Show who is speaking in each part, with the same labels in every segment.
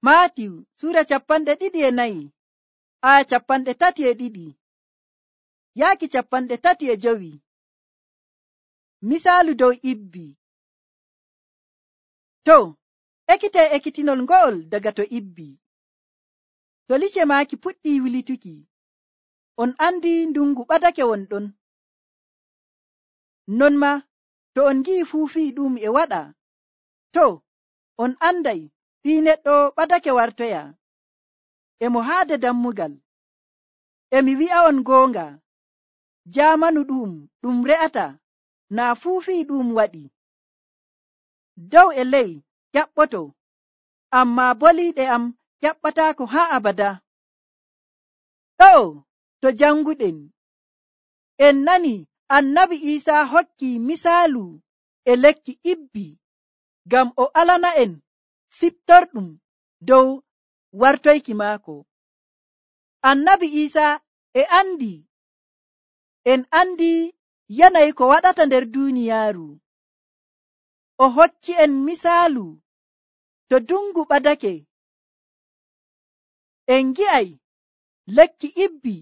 Speaker 1: Maatiw sura 24 aya 32 yaaki 35. Misaalu dow ibbi. To ekkite ekkitinol ngo'ol daga to ibbi. To lice maaki puɗɗi wilituki, on andi ndungu ɓadake wonɗon. Non ma to on gi'i fuufii ɗum e waɗa, to on anday ɓii neɗɗo ɓadake wartoya, e mo haade dammugal. E mi wi'a'on goonga, jaamanu ɗum re'ata naa fuufii ɗum waɗi. Dow e ley ƴaɓɓoto, ammaa boliiɗe am ƴaɓɓataako haa abada. Ɗo to janguɗen, en nani annabi Iisaa hokki misaalu e lekki ibbi ngam o alana'en siftorɗum dow wartoyki maako. Annabi Iisaa en andi yanayi ko waɗata nder duuniyaaru. O hokki en misaalu to dungu ɓadake, en ngi'ay lekki ibbi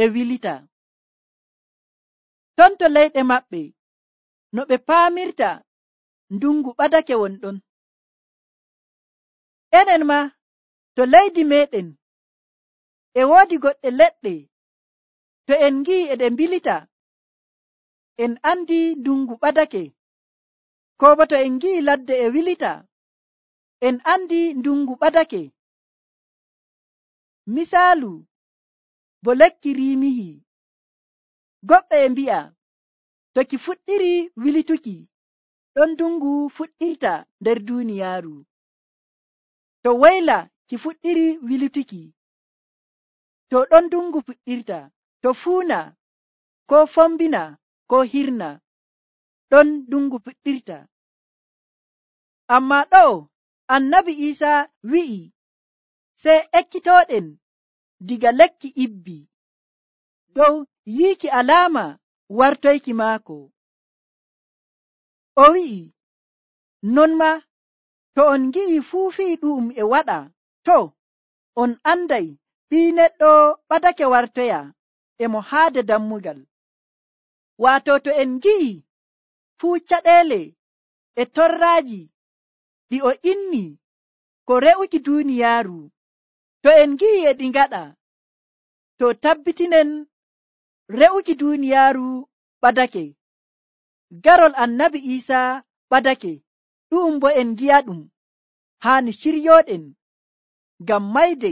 Speaker 1: e wilita. Ton to leyɗe maɓɓe no ɓe paamirta ndungu ɓadake wonɗon. Enen ma to leydi meɗen e woodi goɗɗe leɗɗe, to en ngi'i e ɗe mbilita, en andi ndungu ɓadake. Ko bo to en ngi'i ladde e wilita, en andi ndungu ɓadake. Misaalu bo lekki riimihi. Goɗɗo e mbi'a to ki fuɗɗiri wilituki, ɗon ndungu fuɗɗirta nder duuniyaaru. To woyla ki fuɗɗiri wilituki, to ɗon ndungu fuɗɗirta. To fuuna, ko fombina, ko hirna, ɗon ndungu fuɗɗirta. Ammaa ɗo annabi Iisaa wi'i sey ekkitooɗen diga lekki ibbi dow yiiki alaama wartoyki maako. O wi'i, non ma to on ngi'i fuufii ɗum e waɗa, to on anday ɓii neɗɗo ɓadake wartoya, e mo haade dammugal. Waato to en ngi'i fuu caɗeele e torraaji ɗi o inni ko re'uki duuniyaaru, to en ngi'i e ɗi ngaɗa, to tabbitinen re'uki duuniyaaru ɓadake. Garol annabi Iisaa ɓadake, ɗum bo en ngi'aɗum haani ciryooɗen ngam mayde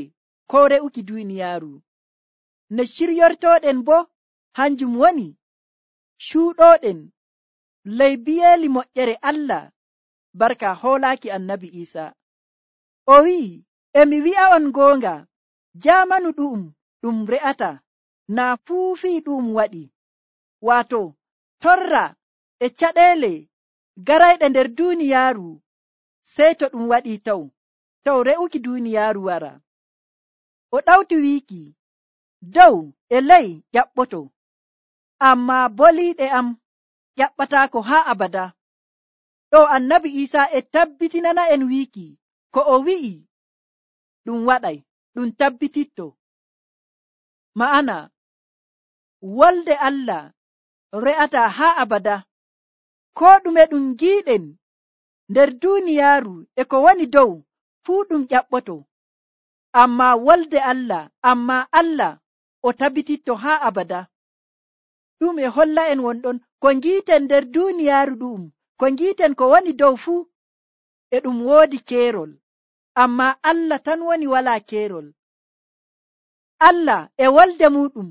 Speaker 1: ko re'uki duuniyaaru. Ne ciryortooɗen bo hanjum woni cuuɗooɗen ley biyeeli moƴƴere Allah barka hoolaaki annabi Iisaa. O wi'i, e mi wi'a'on goonga, jaamanu ɗum re'ata naa fuufii ɗum waɗi. Waato torra e caɗeele garayɗe nder duuniyaaru, sey to ɗum waɗii taw re'uki duuniyaaru wara. O ɗawti wiiki, dow e ley ƴaɓɓoto, ammaa boliiɗe am ƴaɓɓataako haa abada. Ɗo annabi Iisaa e tabbitinana en wiiki ko o wi'i ɗum waɗay, ɗum tabbititto. Ma'ana wolde Allah re'ata haa abada. Ko ɗume ɗum ngiiɗen nder duuniyaaru e ko woni dow fuu ɗum ƴaɓɓoto, ammaa Allah o tabbititto haa abada. Ɗum e holla en wonɗon ko ngiiten nder duuniyaaru ɗum, ko ngiiten ko woni dow fuu e ɗum woodi keerol, ammaa Allah tan woni walaa keerol. Allah e wolde muɗum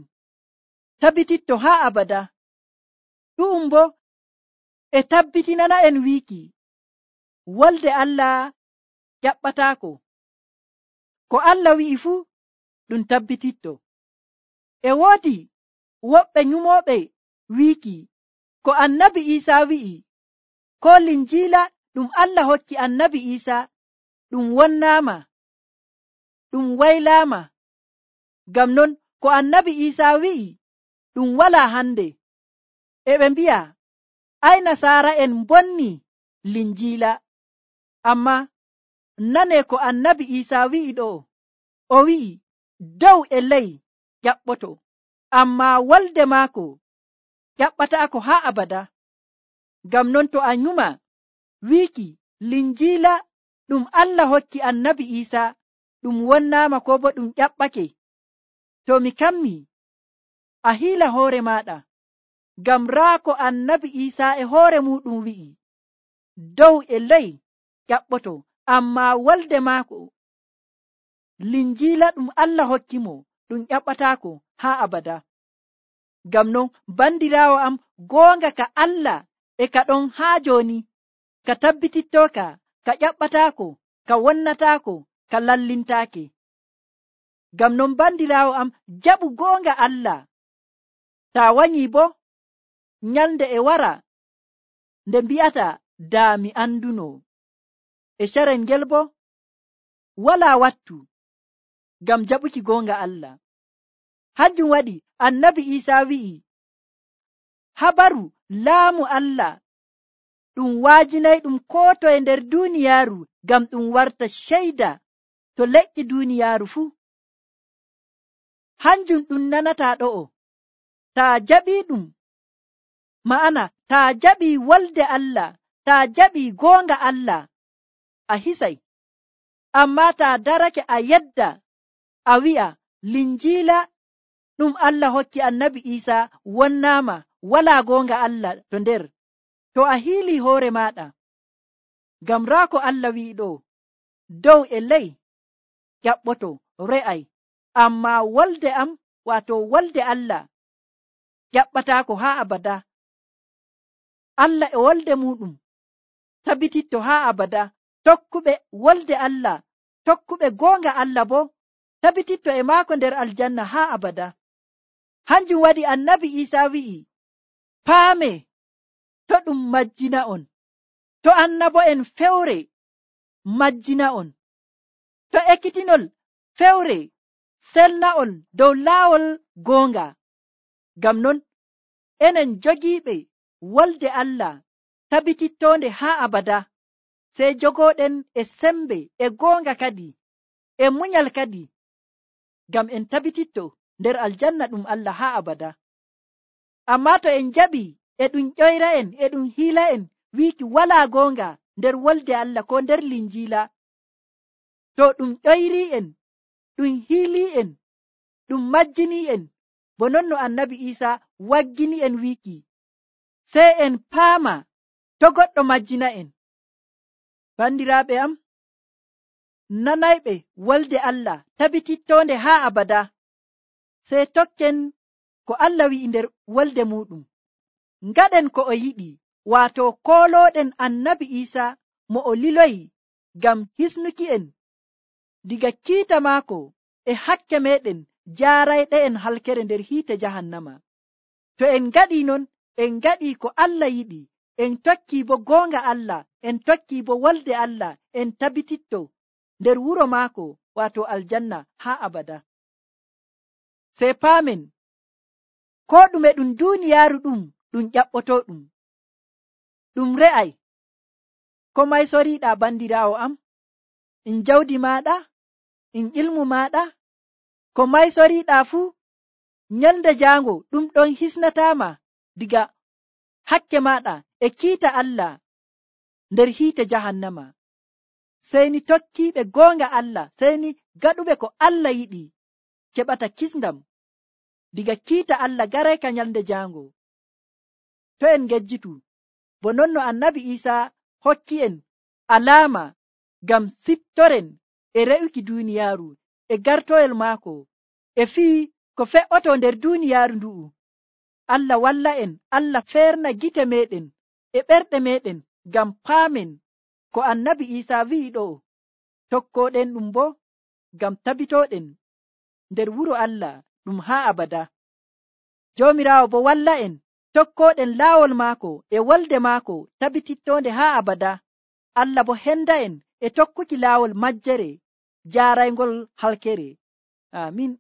Speaker 1: tabbititto haa abada. Ɗum bo e tabbitinana en wiiki wolde Allah ƴaɓɓataako. Ko Allah wi'i fuu ɗum tabbititto. E woodi woɓɓe nyumooɓe wiiki ko annabi Iisaa wi'i, ko linjiila ɗum Allah hokki annabi Iisaa ɗum wonnaama, ɗum waylaama. Ngam non ko annabi Iisaa wi'i ɗum walaa hande. E ɓe mbi'a ay nasaara'en mbonni linjiila, ammaa nane ko annabi Isa wi'i ɗo. O wi'i dow e ley ƴaɓɓoto, amma wolde maako ƴaɓɓataako haa abada. Ngam non to a nyuma wiiki linjiila ɗum Allah hokki annabi Isa ɗum wonnaama ko bo ɗum ƴaɓɓake, to mi kammi a hiila hoore maaɗa. Ngam raa ko annabi Isa e hoore muɗum wi'i dow e ley ƴaɓɓoto, amma wolde maako linjiila ɗum Allah hokki mo ɗum ƴaɓɓataako haa abada. Ngam non bandiraawo am, goonga ka Allah e ka ɗon haa jooni, ka tabbitittooka, ka ƴaɓɓataako, ka wonnataako, ka lallintaake. Ngam non bandiraawo am, jaɓu goonga Allah. Taa wanyii bo nyalnde e wara nde mbi'ata daa mi anduno, e carel ngel bo walaa wattu ngam jaɓuki goonga Allah. Hanjum waɗi annabi Isa wi'i habaru laamu Allah ɗum waajinay ɗum koo toye nder duuniyaaru ngam ɗum warta ceyda to leƴƴi duuniyaaru fuu. Hanjum ɗum nanataa ɗo'o. Taa jaɓii ɗum, ma'ana taa jaɓii wolde Allah, taa jaɓii goonga Allah, a hisay. Amma taa darake a yedda a wi'a linjiila ɗum Allah hokki annabi Isa wonnaama, walaa goonga Allah to nder, to a hiilii hoore maaɗa. Ngam raa ko Allah wi'i ɗo, dow e ley ƴaɓɓoto re'ay, amma wolde am, waato wolde Allah ƴaɓɓataako haa abada. Allah e wolde muɗum tabititto haa abada. Tokkuɓe wolde Allah, tokkuɓe goonga Allah bo tabititto e maako nder aljanna haa abada. Hanjum waɗi annabi Isa wi'i paame to ɗum majjina on, to annabo'en fewre majjina on, to ekkitinol fewre selna'on dow laawol goonga. Ngam non enen jogiiɓe wolde Allah tabitittoonde haa abada, sey jogooɗen e sembe e goonga kadi e munyal kadi, ngam en tabititto nder aljanna ɗum Allah haa abada. Amma to en jaɓii e ɗum ƴoyra'en e ɗum hiila'en wiiki walaa goonga nder wolde Allah ko nder linjiila, to ɗum ƴoyrii'en, ɗum hiilii'en, ɗum majjinii'en, bo non no annabi Isa waggini'en wiiki, sey en paama to goɗɗo majjina'en. Bandiraaɓe am, nanayɓe wolde Allah tabitittoonde haa abada, sey tokken ko Allah wi'i nder wolde muɗum. Ngaɗen ko o yiɗi, waato koolooɗen annabi Isa mo o liloyi ngam hisnuki'en diga kiita maako e hakke meɗen jaarayɗe'en halkere nder hiite jahannama. To en ngaɗii non, en ngaɗii ko Allah yiɗi, en tokkii bo goonga Allah, en tokkii bo wolde Allah, en tabititto nder wuro maako, waato aljanna haa abada. Sey paamen ko ɗume ɗum duuniyaaru ɗum ƴaɓɓotoo ɗum re'ay. Ko may soriiɗaa bandiraawo am? In jawdi maaɗa, in ilmu maaɗa, ko may soriiɗaa fuu, nyalnde jaango ɗum ɗon hisnataama diga hakke maaɗa e kiita Allah nder hiite jahannama. Sey ni tokkiiɓe goonga Allah, sey ni gaɗuɓe ko Allah yiɗi, keɓata kisndam diga kiita Allah garayka nyalnde jaango. To en ngejjitu, bo non no annabi Isa hokki en alaama ngam siptoren e re'uki duuniyaaru e gartoyel maako e fii ko fe'oto nder duuniyaaru ndu'u. Allah walla en, Allah feerna gite meɗen e ɓerɗe meɗen ngam paamen ko annabi Isa wi'i ɗo, tokkoɗen ɗum bo ngam tabitoɗen nder wuro Allah ɗum haa abada. Joomiraawo bo walla en tokkoɗen laawol maako e wolde maako tabitittonde haa abada. Allah bo henda en e tokkuki laawol majjere jaaraygol halkere. Amin.